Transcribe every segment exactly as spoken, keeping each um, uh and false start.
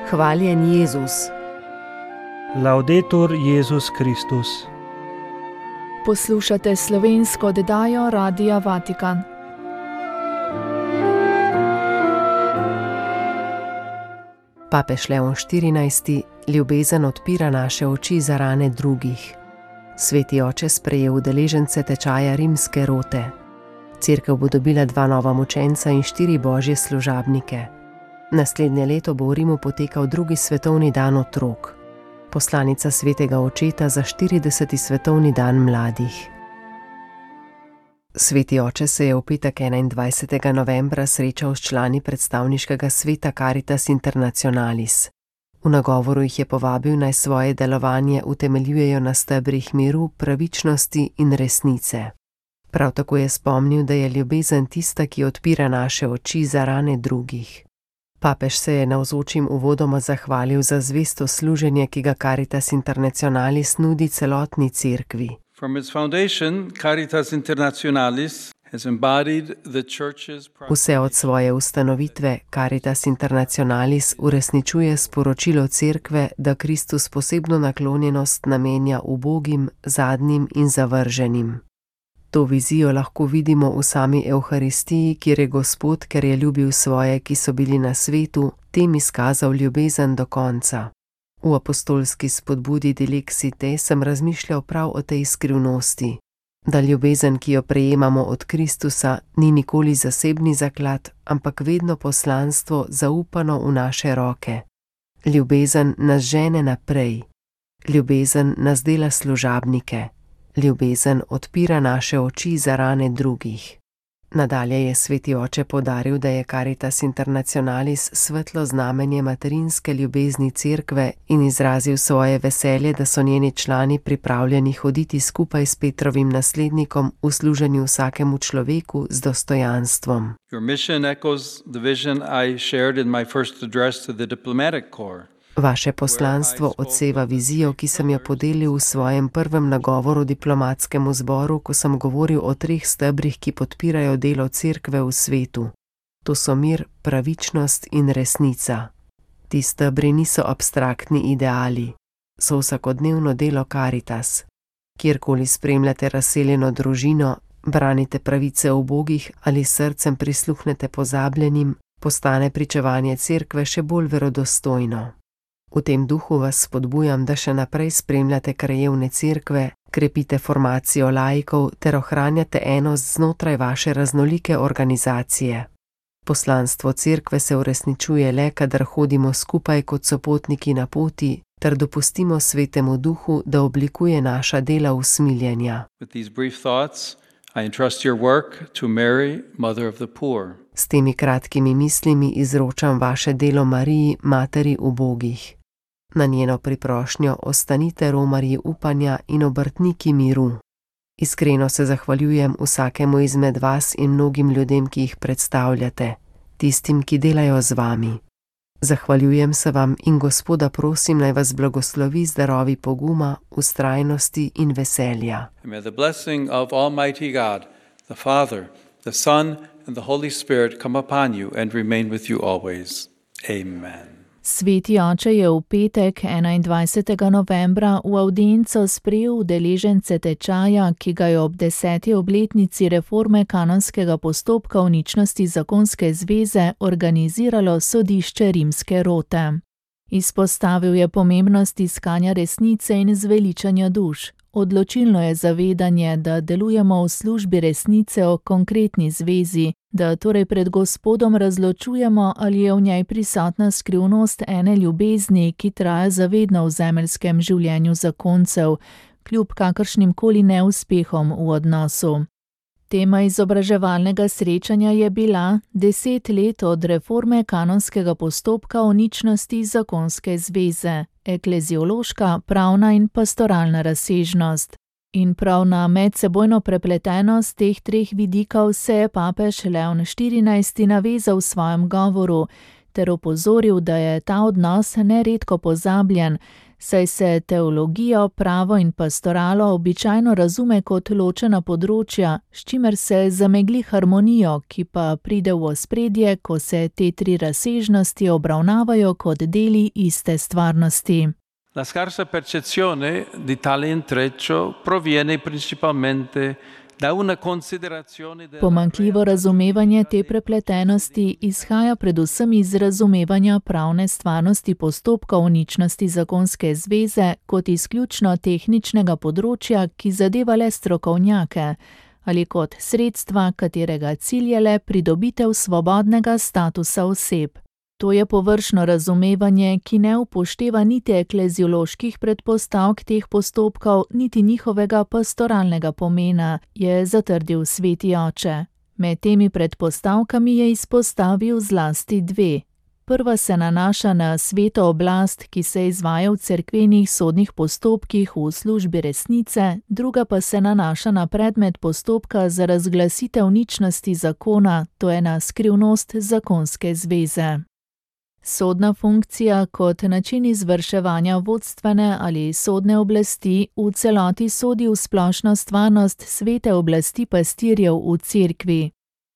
Hvaljen Jezus. Laudetur Jezus Kristus. Poslušate slovensko oddajo Radia Vatikan. Papež Leon štirinajsti. Ljubezen odpira naše oči za rane drugih. Sveti oče sprejel udeležence tečaja rimske rote. Cerkev bo dobila dva nova mučenca in štiri božje služabnike. Naslednje leto bo v Rimu potekal drugi svetovni dan otrok. Poslanica svetega očeta za štirideseti svetovni dan mladih. Sveti oče se je v petek enaindvajsetega novembra srečal s člani predstavniškega sveta Caritas Internationalis. V nagovoru jih je povabil, naj svoje delovanje utemeljujejo na stebrih miru, pravičnosti in resnice. Prav tako je spomnil, da je ljubezen tista, ki odpira naše oči za rane drugih. Papež se je navzočim uvodoma zahvalil za zvesto služenje, ki ga Caritas Internationalis nudi celotni cerkvi. From its foundation, Caritas Internationalis has embodied the church's... Vse od svoje ustanovitve Caritas Internationalis uresničuje sporočilo cerkve, da Kristus posebno naklonjenost namenja ubogim, zadnjim in zavrženim. To vizijo lahko vidimo v sami Evharistiji, kjer je Gospod, ker je ljubil svoje, ki so bili na svetu, tem izkazal ljubezen do konca. V apostolski spodbudi Dilexite sem razmišljal prav o tej skrivnosti, da ljubezen, ki jo prejemamo od Kristusa, ni nikoli zasebni zaklad, ampak vedno poslanstvo zaupano v naše roke. Ljubezen nas žene naprej. Ljubezen nas dela služabnike. Ljubezen odpira naše oči za rane drugih. Nadalje je sveti oče poudaril, da je Caritas Internationalis svetlo znamenje materinske ljubezni cerkve in izrazil svoje veselje, da so njeni člani pripravljeni hoditi skupaj s Petrovim naslednikom v služenju vsakemu človeku z dostojanstvom. Your mission echoes the vision I shared in my first address to the diplomatic corps. Vaše poslanstvo odseva vizijo, ki sem jo podelil v svojem prvem nagovoru diplomatskemu zboru, ko sem govoril o treh stebrih, ki podpirajo delo cerkve v svetu. To so mir, pravičnost in resnica. Ti stebri niso abstraktni ideali, so vsakodnevno delo Caritas. Kjerkoli spremljate razseljeno družino, branite pravice ubogih ali srcem prisluhnete pozabljenim, postane pričevanje cerkve še bolj verodostojno. V tem duhu vas spodbujam, da še naprej spremljate krajevne cerkve, krepite formacijo laikov ter ohranjate enost znotraj vaše raznolike organizacije. Poslanstvo cerkve se uresničuje le, kadar hodimo skupaj kot sopotniki na poti, ter dopustimo svetemu duhu, da oblikuje naša dela usmiljenja. With these brief thoughts, I entrust your work to Mary, Mother of the Poor. S temi kratkimi mislimi izročam vaše delo Mariji, materi ubogih. Na njeno priprošnjo ostanite romarji upanja in obrtniki miru. Iskreno se zahvaljujem vsakemu izmed vas in mnogim ljudem, ki jih predstavljate, tistim, ki delajo z vami. Zahvaljujem se vam in Gospoda prosim, naj vas blagoslovi z darovi poguma, vztrajnosti in veselja. And may the blessing of Almighty God, the Father, the Son and the Holy Spirit come upon you and remain with you always. Amen. Sveti oče je v petek enaindvajsetega novembra v avdienco sprejel udeležence tečaja, ki ga je ob deseti obletnici reforme kanonskega postopka o ničnosti zakonske zveze organiziralo sodišče rimske rote. Izpostavil je pomembnost iskanja resnice in zveličanja duš. Odločilno je zavedanje, da delujemo v službi resnice o konkretni zvezi, da torej pred Gospodom razločujemo, ali je v njej prisotna skrivnost ene ljubezni, ki traja zavedno v zemeljskem življenju zakoncev, kljub kakršnim koli neuspehom v odnosu. Tema izobraževalnega srečanja je bila deset let od reforme kanonskega postopka o ničnosti zakonske zveze, ekleziološka, pravna in pastoralna razsežnost. In prav na medsebojno prepletenost teh treh vidikov se je papež Leon štirinajsti navezal v svojem govoru ter opozoril, da je ta odnos neredko pozabljen, saj se teologijo, pravo in pastoralo običajno razume kot ločena področja, s čimer se zamegli harmonijo, ki pa pride v ospredje, ko se te tri razsežnosti obravnavajo kot deli iste stvarnosti. La scarsa percezione di tale intreccio proviene principalmente da una considerazione della Pomanjkljivo razumevanje te prepletenosti izhaja predvsem iz razumevanja pravne stvarnosti postopka uničnosti zakonske zveze kot izključno tehničnega področja, ki zadeva le strokovnjake, ali kot sredstva, katerega cilj je le pridobitev svobodnega statusa oseb. To je površno razumevanje, ki ne upošteva niti eklezioloških predpostavk teh postopkov, niti njihovega pastoralnega pomena, je zatrdil sveti oče. Med temi predpostavkami je izpostavil zlasti dve. Prva se nanaša na sveto oblast, ki se izvaja v cerkvenih sodnih postopkih v službi resnice, druga pa se nanaša na predmet postopka za razglasitev ničnosti zakona, to je na skrivnost zakonske zveze. Sodna funkcija kot način izvrševanja vodstvene ali sodne oblasti v celoti sodi v splošno stvarnost svete oblasti pastirjev v cerkvi.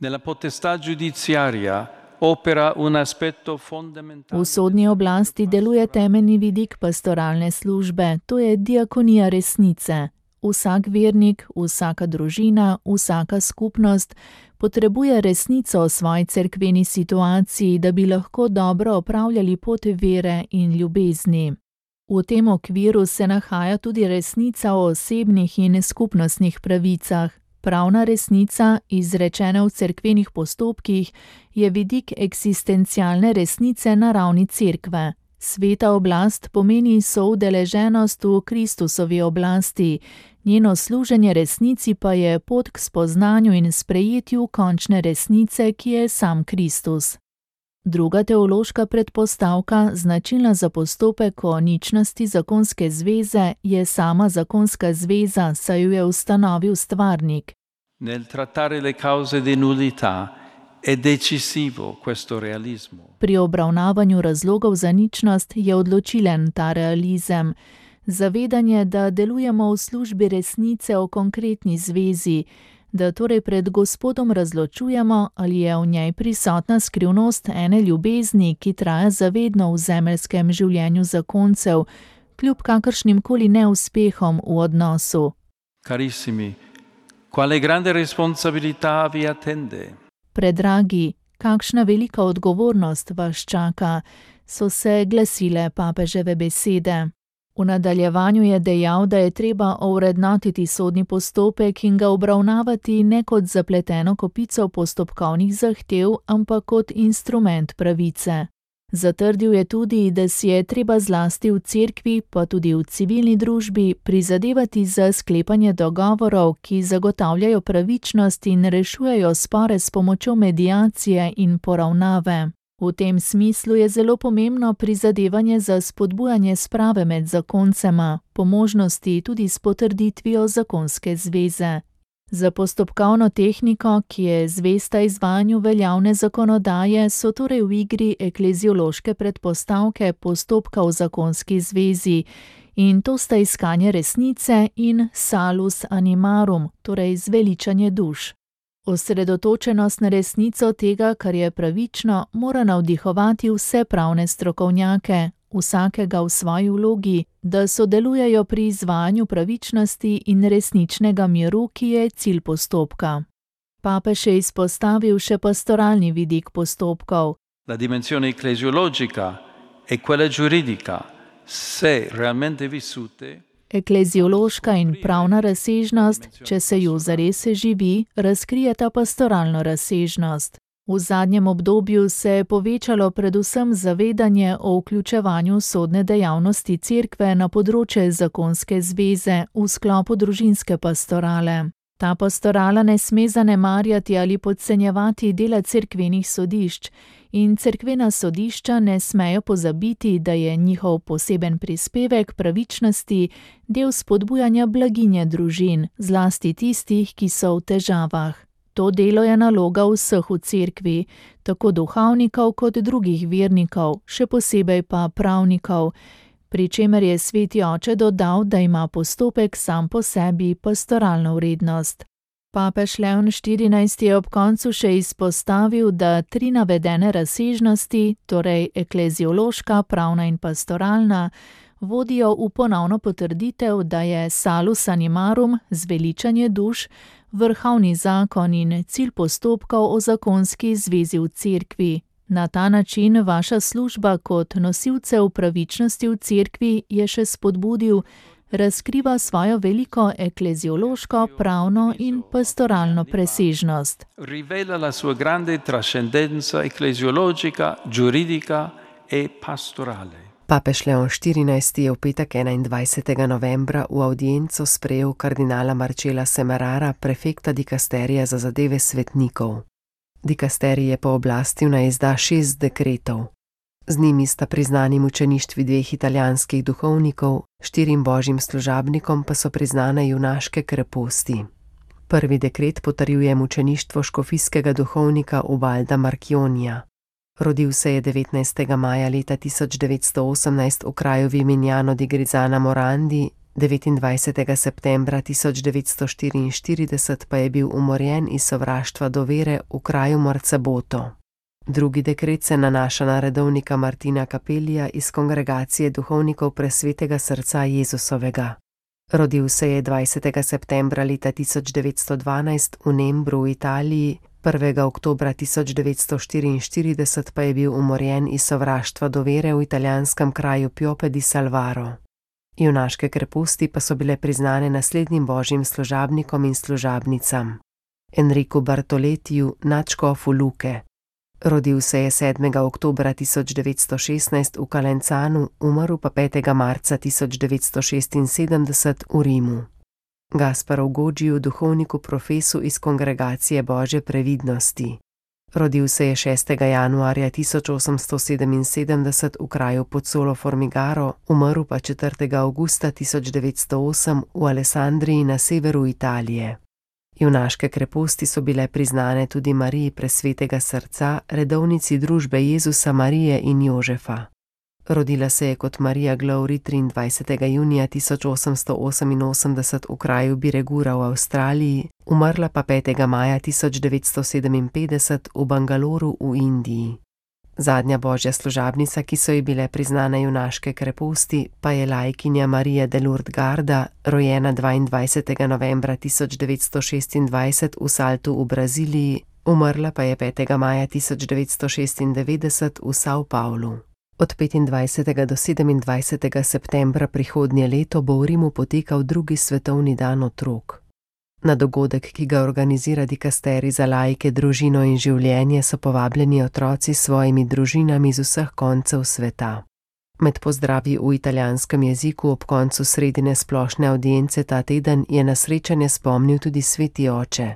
Nella potestà giudiziaria opera un aspetto fondamentale. V sodni oblasti deluje temeljni vidik pastoralne službe, to je diakonija resnice. Vsak vernik, vsaka družina, vsaka skupnost potrebuje resnico o svoji cerkveni situaciji, da bi lahko dobro opravljali pot vere in ljubezni. V tem okviru se nahaja tudi resnica o osebnih in skupnostnih pravicah. Pravna resnica, izrečena v cerkvenih postopkih, je vidik eksistencialne resnice na ravni cerkve. Sveta oblast pomeni soudeleženost v Kristusovi oblasti, njeno služenje resnici pa je pot k spoznanju in sprejetju končne resnice, ki je sam Kristus. Druga teološka predpostavka, značilna za postopek o ničnosti zakonske zveze, je sama zakonska zveza, saj jo je ustanovil stvarnik. Nel trattare le cause di nullità è decisivo questo realismo. Pri obravnavanju razlogov za ničnost je odločilen ta realizem. Zavedanje, da delujemo v službi resnice o konkretni zvezi, da torej pred Gospodom razločujemo, ali je v njej prisotna skrivnost ene ljubezni, ki traja zavedno v zemeljskem življenju zakoncev, kljub kakršnimkoli neuspehom v odnosu. Carissimi, quale grande responsabilità vi attende? Predragi, kakšna velika odgovornost vas čaka, so se glasile papeževe besede. V nadaljevanju je dejal, da je treba ovrednotiti sodni postopek in ga obravnavati ne kot zapleteno kopico postopkovnih zahtev, ampak kot instrument pravice. Zatrdil je tudi, da si je treba zlasti v cerkvi, pa tudi v civilni družbi, prizadevati za sklepanje dogovorov, ki zagotavljajo pravičnost in rešujejo spore s pomočjo mediacije in poravnave. V tem smislu je zelo pomembno prizadevanje za spodbujanje sprave med zakoncema, po možnosti tudi s potrditvijo zakonske zveze. Za postopkovno tehniko, ki je zvesta izvajanju veljavne zakonodaje, so torej v igri ekleziološke predpostavke postopka v zakonski zvezi, in to sta iskanje resnice in salus animarum, torej zveličanje duš. Osredotočenost na resnico tega, kar je pravično, mora navdihovati vse pravne strokovnjake, vsakega v svoji vlogi, da sodelujejo pri izvajanju pravičnosti in resničnega miru, ki je cilj postopka. Papež je izpostavil še pastoralni vidik postopkov. La dimensione ecclesiologica e quella giuridica, se realmente vissute, Ekleziološka in pravna razsežnost, če se ju zares živi, razkrijeta pastoralno razsežnost. V zadnjem obdobju se je povečalo predvsem zavedanje o vključevanju sodne dejavnosti cerkve na področje zakonske zveze v sklopu družinske pastorale. Ta pastorala ne sme zanemarjati ali podcenjevati dela cerkvenih sodišč in cerkvena sodišča ne smejo pozabiti, da je njihov poseben prispevek pravičnosti del spodbujanja blaginje družin, zlasti tistih, ki so v težavah. To delo je naloga vseh v cerkvi, tako duhovnikov kot drugih vernikov, še posebej pa pravnikov, pri čemer je sveti oče dodal, da ima postopek sam po sebi pastoralno vrednost. Papež Leon štirinajsti je ob koncu še izpostavil, da tri navedene razsežnosti, torej ekleziološka, pravna in pastoralna, vodijo v ponovno potrditev, da je salus animarum, zveličanje duš, vrhovni zakon in cilj postopkov o zakonski zvezi v cerkvi. Na ta način vaša služba kot nosilcev pravičnosti v cerkvi, je še spodbudil, razkriva svojo veliko ekleziološko, pravno in pastoralno presežnost. Rivela la sua grande trascendenza ecclesiologica, giuridica e pastorale. Papež Leon štirinajsti je v petek enaindvajsetega novembra v avdienco sprejel kardinala Marcela Semerara, prefekta dikasterija za zadeve svetnikov. Dikasterij je pooblastil naj izda šest dekretov. Z njimi sta priznani mučeništvi dveh italijanskih duhovnikov, štirim božjim služabnikom pa so priznane junaške kreposti. Prvi dekret potrjuje mučeništvo škofijskega duhovnika Ubalda Marchionija. Rodil se je devetnajstega maja leta tisoč devetsto osemnajst v kraju Vimignano di Grizzana Morandi, devetindvajsetega septembra tisoč devetsto štiriinštirideset pa je bil umorjen iz sovraštva do vere v kraju Morzaboto. Drugi dekret se nanaša na redovnika Martina Capellija iz kongregacije duhovnikov Presvetega srca Jezusovega. Rodil se je dvajsetega septembra leta tisoč devetsto dvanajst v Nembru v Italiji, prvega oktobra tisoč devetsto štiriinštirideset pa je bil umorjen iz sovraštva do vere v italijanskem kraju Piope di Salvaro. Junaške kreposti pa so bile priznane naslednjim božjim služabnikom in služabnicam: Enriku Bartoletiju, nadškofu Luke. Rodil se je sedmega oktobra tisoč devetsto šestnajst v Calenzanu, umrl pa petega marca tisoč devetsto šestinsedemdeset v Rimu. Gasparu Godžiju, duhovniku profesu iz kongregacije Božje previdnosti. Rodil se je šestega januarja tisoč osemsto sedeminsedemdeset v kraju Pozzolo Formigaro, umrl pa četrtega avgusta tisoč devetsto osem v Alessandriji na severu Italije. Junaške kreposti so bile priznane tudi Mariji Presvetega srca, redovnici družbe Jezusa, Marije in Jožefa. Rodila se je kot Marija Glowry triindvajsetega junija tisoč osemsto oseminosemdeset v kraju Biregura v Avstraliji, umrla pa petega maja tisoč devetsto sedeminpetdeset v Bangaloru v Indiji. Zadnja božja služabnica, ki so ji bile priznane junaške kreposti, pa je laikinja Marija de Lourdes Garda, rojena dvaindvajsetega novembra tisoč devetsto šestindvajset v Saltu v Braziliji, umrla pa je petega maja tisoč devetsto šestindevetdeset v São Paulo. Od petindvajsetega do sedemindvajsetega septembra prihodnje leto bo v Rimu potekal drugi svetovni dan otrok. Na dogodek, ki ga organizira dikasterij za laike, družino in življenje, so povabljeni otroci s svojimi družinami z vseh koncev sveta. Med pozdravi v italijanskem jeziku ob koncu sredine splošne avdience ta teden je na srečanje spomnil tudi sveti oče.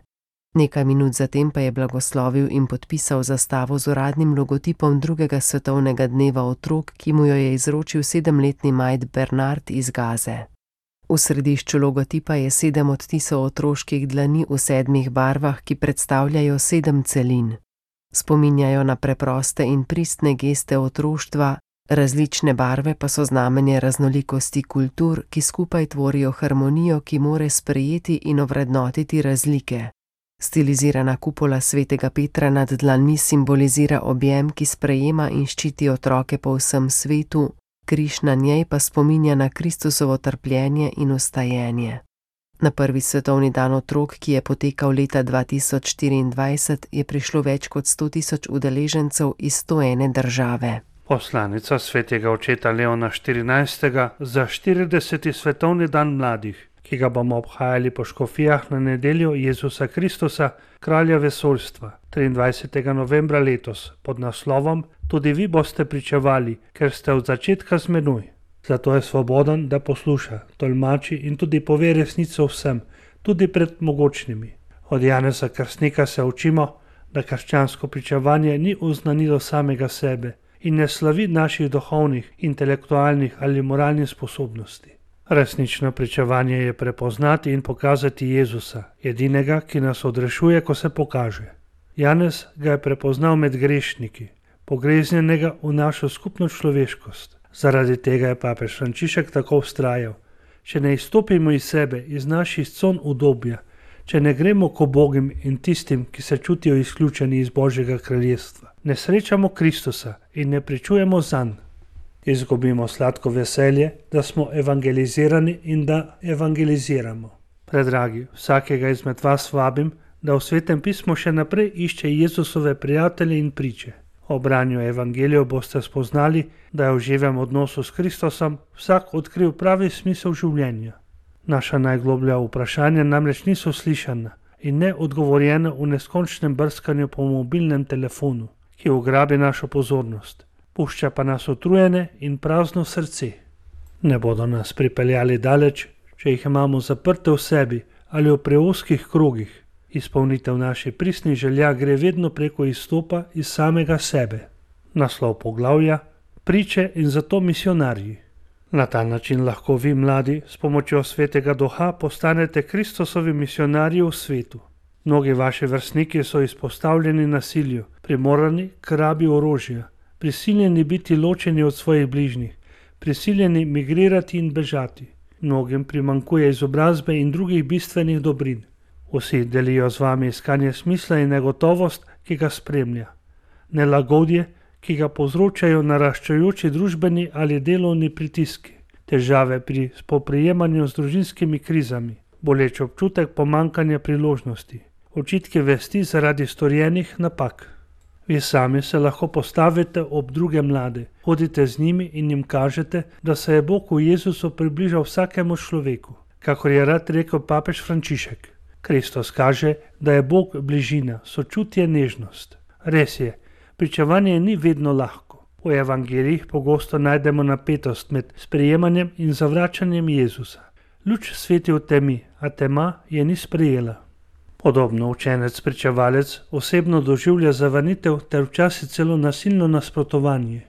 Nekaj minut zatem pa je blagoslovil in podpisal zastavo z uradnim logotipom drugega svetovnega dneva otrok, ki mu jo je izročil sedemletni Majd Bernard iz Gaze. V središču logotipa je sedem odtisov otroških dlani v sedmih barvah, ki predstavljajo sedem celin. Spominjajo na preproste in pristne geste otroštva, različne barve pa so znamenje raznolikosti kultur, ki skupaj tvorijo harmonijo, ki more sprejeti in ovrednotiti razlike. Stilizirana kupola svetega Petra nad dlanmi simbolizira objem, ki sprejema in ščiti otroke po vsem svetu, križ na njej pa spominja na Kristusovo trpljenje in vstajenje. Na prvi svetovni dan otrok, ki je potekal leta dva tisoč štiriindvajset, je prišlo več kot sto tisoč udeležencev iz sto ene države. Poslanica svetega očeta Leona štirinajstega za štirideseti svetovni dan mladih, ki ga bomo obhajali po škofijah na nedeljo Jezusa Kristusa, kralja vesoljstva, triindvajsetega novembra letos, pod naslovom Tudi vi boste pričevali, ker ste od začetka z menoj. Zato je svoboden, da posluša, tolmači in tudi pove resnico vsem, tudi pred mogočnimi. Od Janeza Krstnika se učimo, da krščansko pričevanje ni oznanilo samega sebe in ne slavi naših duhovnih, intelektualnih ali moralnih sposobnosti. Resnično pričevanje je prepoznati in pokazati Jezusa, edinega, ki nas odrešuje, ko se pokaže. Janez ga je prepoznal med grešniki, pogreznjenega v našo skupno človeškost, Zaradi tega je papež Frančišek tako vztrajal: če ne izstopimo iz sebe, iz naših con udobja, če ne gremo k ubogim in tistim, ki se čutijo izključeni iz Božjega kraljestva, ne srečamo Kristusa in ne pričujemo zanj, izgubimo sladko veselje, da smo evangelizirani in da evangeliziramo. Predragi, vsakega izmed vas vabim, da v Svetem pismu še naprej išče Jezusove prijatelje in priče. Ob branju evangelijev boste spoznali, da je v živem odnosu s Kristusom vsak odkril pravi smisel življenja. Naša najgloblja vprašanja namreč niso slišana in ne odgovorjena v neskončnem brskanju po mobilnem telefonu, ki ugrabi našo pozornost, pušča pa nas utrujene in prazno srce. Ne bodo nas pripeljali daleč, če jih imamo zaprte v sebi ali v preozkih krogih. Izpolnitev naših pristnih želja gre vedno preko izstopa iz samega sebe. Naslov poglavja: Priče in zato misionarji. Na ta način lahko vi, mladi, s pomočjo Svetega Duha postanete Kristusovi misionarji v svetu. Mnogi vaši vrstniki so izpostavljeni nasilju, primorani k rabi orožja, prisiljeni biti ločeni od svojih bližnjih, prisiljeni migrirati in bežati. Mnogim primanjkuje izobrazbe in drugih bistvenih dobrin. Vsi delijo z vami iskanje smisla in negotovost, ki ga spremlja. Nelagodje, ki ga povzročajo naraščajoči družbeni ali delovni pritiski. Težave pri spoprijemanju z družinskimi krizami. Boleč občutek pomanjkanja priložnosti. Očitki vesti zaradi storjenih napak. Vi sami se lahko postavite ob druge mlade, hodite z njimi in jim kažete, da se je Bog v Jezusu približal vsakemu človeku, kakor je rad rekel papež Frančišek. Kristus kaže, da je Bog bližina, sočutje, nežnost. Res je, pričevanje ni vedno lahko. V evangelijih pogosto najdemo napetost med sprejemanjem in zavračanjem Jezusa. Luč sveti v temi, a tema je ni sprejela. Podobno učenec pričevalec osebno doživlja zavrnitev ter včasih celo nasilno nasprotovanje.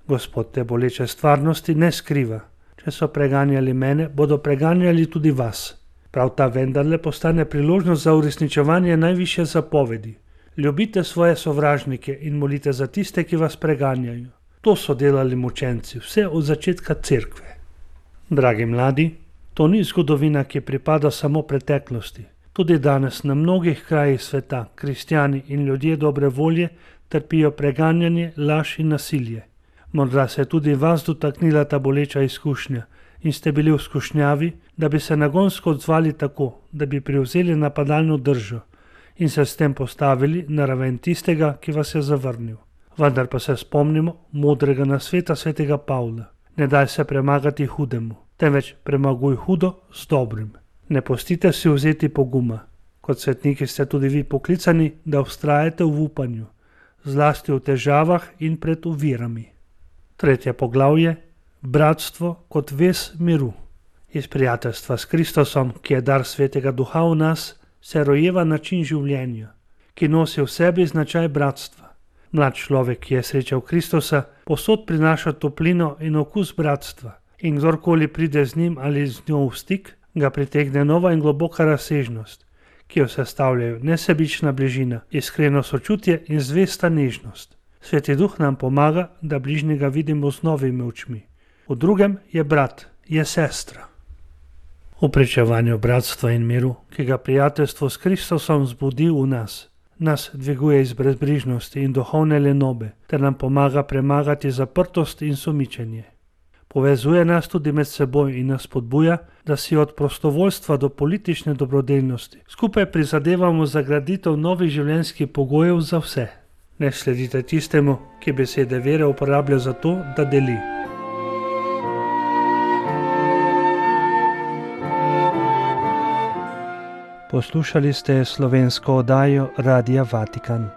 Gospod te boleče stvarnosti ne skriva. Če so preganjali mene, bodo preganjali tudi vas. Prav ta vendarle postane priložnost za uresničevanje najvišje zapovedi. Ljubite svoje sovražnike in molite za tiste, ki vas preganjajo. To so delali mučenci, vse od začetka cerkve. Dragi mladi, to ni zgodovina, ki pripada samo preteklosti. Tudi danes na mnogih krajih sveta kristjani in ljudje dobre volje trpijo preganjanje, laž in nasilje. Morda se je tudi vas dotaknila ta boleča izkušnja in ste bili v skušnjavi, da bi se nagonsko odzvali tako, da bi prevzeli napadalno držo in se s tem postavili na raven tistega, ki vas je zavrnil. Vendar pa se spomnimo modrega nasveta svetega Pavla. Ne daj se premagati hudemu, temveč premaguj hudo z dobrim. Ne pustite si vzeti poguma. Kot svetniki ste tudi vi poklicani, da vztrajate v upanju, zlasti v težavah in pred ovirami. Tretje poglavje: Bratstvo kot vez miru. Iz prijateljstva s Kristusom, ki je dar Svetega Duha v nas, se rojeva način življenja, ki nosi v sebi značaj bratstva. Mlad človek, ki je srečal Kristusa, povsod prinaša toplino in okus bratstva, in kdorkoli pride z njim ali z njo v stik, ga pritegne nova in globoka razsežnost, ki jo sestavljajo nesebična bližina, iskreno sočutje in zvesta nežnost. Sveti Duh nam pomaga, da bližnjega vidimo z novimi očmi. V drugem je brat, je sestra. V pričevanju bratstva in miru, ki ga prijateljstvo s Kristusom zbudi v nas, nas dviguje iz brezbrižnosti in duhovne lenobe, ter nam pomaga premagati zaprtost in sumičenje. Povezuje nas tudi med seboj in nas spodbuja, da si od prostovoljstva do politične dobrodelnosti skupaj prizadevamo za graditev novih življenjskih pogojev za vse. Ne sledite tistemu, ki besede vere uporablja za to, da deli. Poslušali ste slovensko oddajo Radia Vatikan.